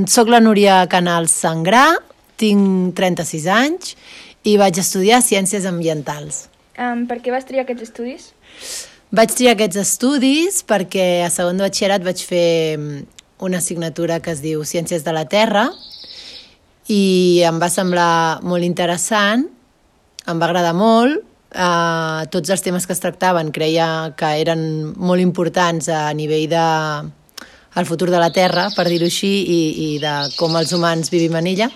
Soc la Núria Canals Sangrà, tinc 36 anys i vaig estudiar Ciències Ambientals. Per què vas triar aquests estudis? Vaig triar aquests estudis perquè a segon de batxillerat vaig fer una assignatura que es diu Ciències de la Terra i em va semblar molt interessant, em va agradar molt. Tots els temes que es tractaven creia que eren molt importants a nivell de el futur de la Terra, per dir-ho així, i de com els humans vivim en ella.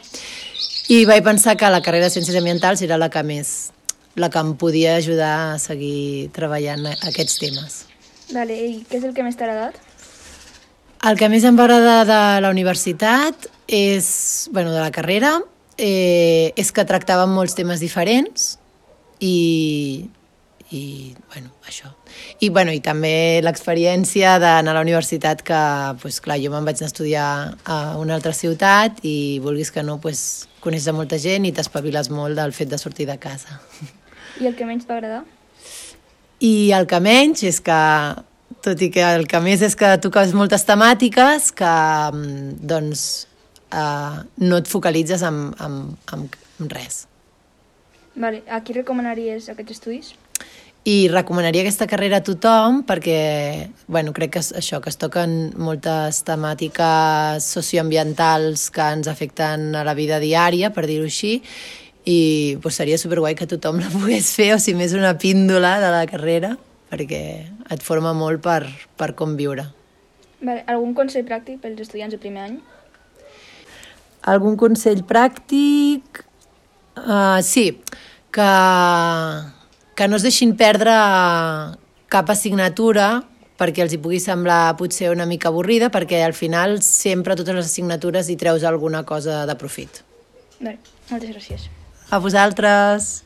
I vaig pensar que la carrera de Ciències Ambientals era la que em podia ajudar a seguir treballant aquests temes. Vale, i què és el que més t'ha agradat? El que més em va agradar de la universitat és, de la carrera, és que tractàvem molts temes diferents i això. I també l'experiència d'anar a la universitat que, clar, jo me'n vaig anar a estudiar a una altra ciutat i vulguis que no, coneixes molta gent i t'espaviles molt del fet de sortir de casa. I el que menys t'ha agradat? I el que menys és que, tot i que el que més és que toques moltes temàtiques que, no et focalitzes en res. Vale, a qui recomanaries aquests estudis? I recomanaria aquesta carrera a tothom perquè, crec que això, que es toquen moltes temàtiques socioambientals que ens afecten a la vida diària, per dir-ho així, i seria superguai que tothom la pogués fer, o si més una píndola de la carrera, perquè et forma molt per com viure. Vale, algun consell pràctic pels estudiants de primer any? Algun consell pràctic? Sí, que no es deixin perdre cap assignatura perquè els hi pugui semblar potser una mica avorrida, perquè al final sempre totes les assignatures hi treus alguna cosa de profit. Bé, moltes gràcies. A vosaltres!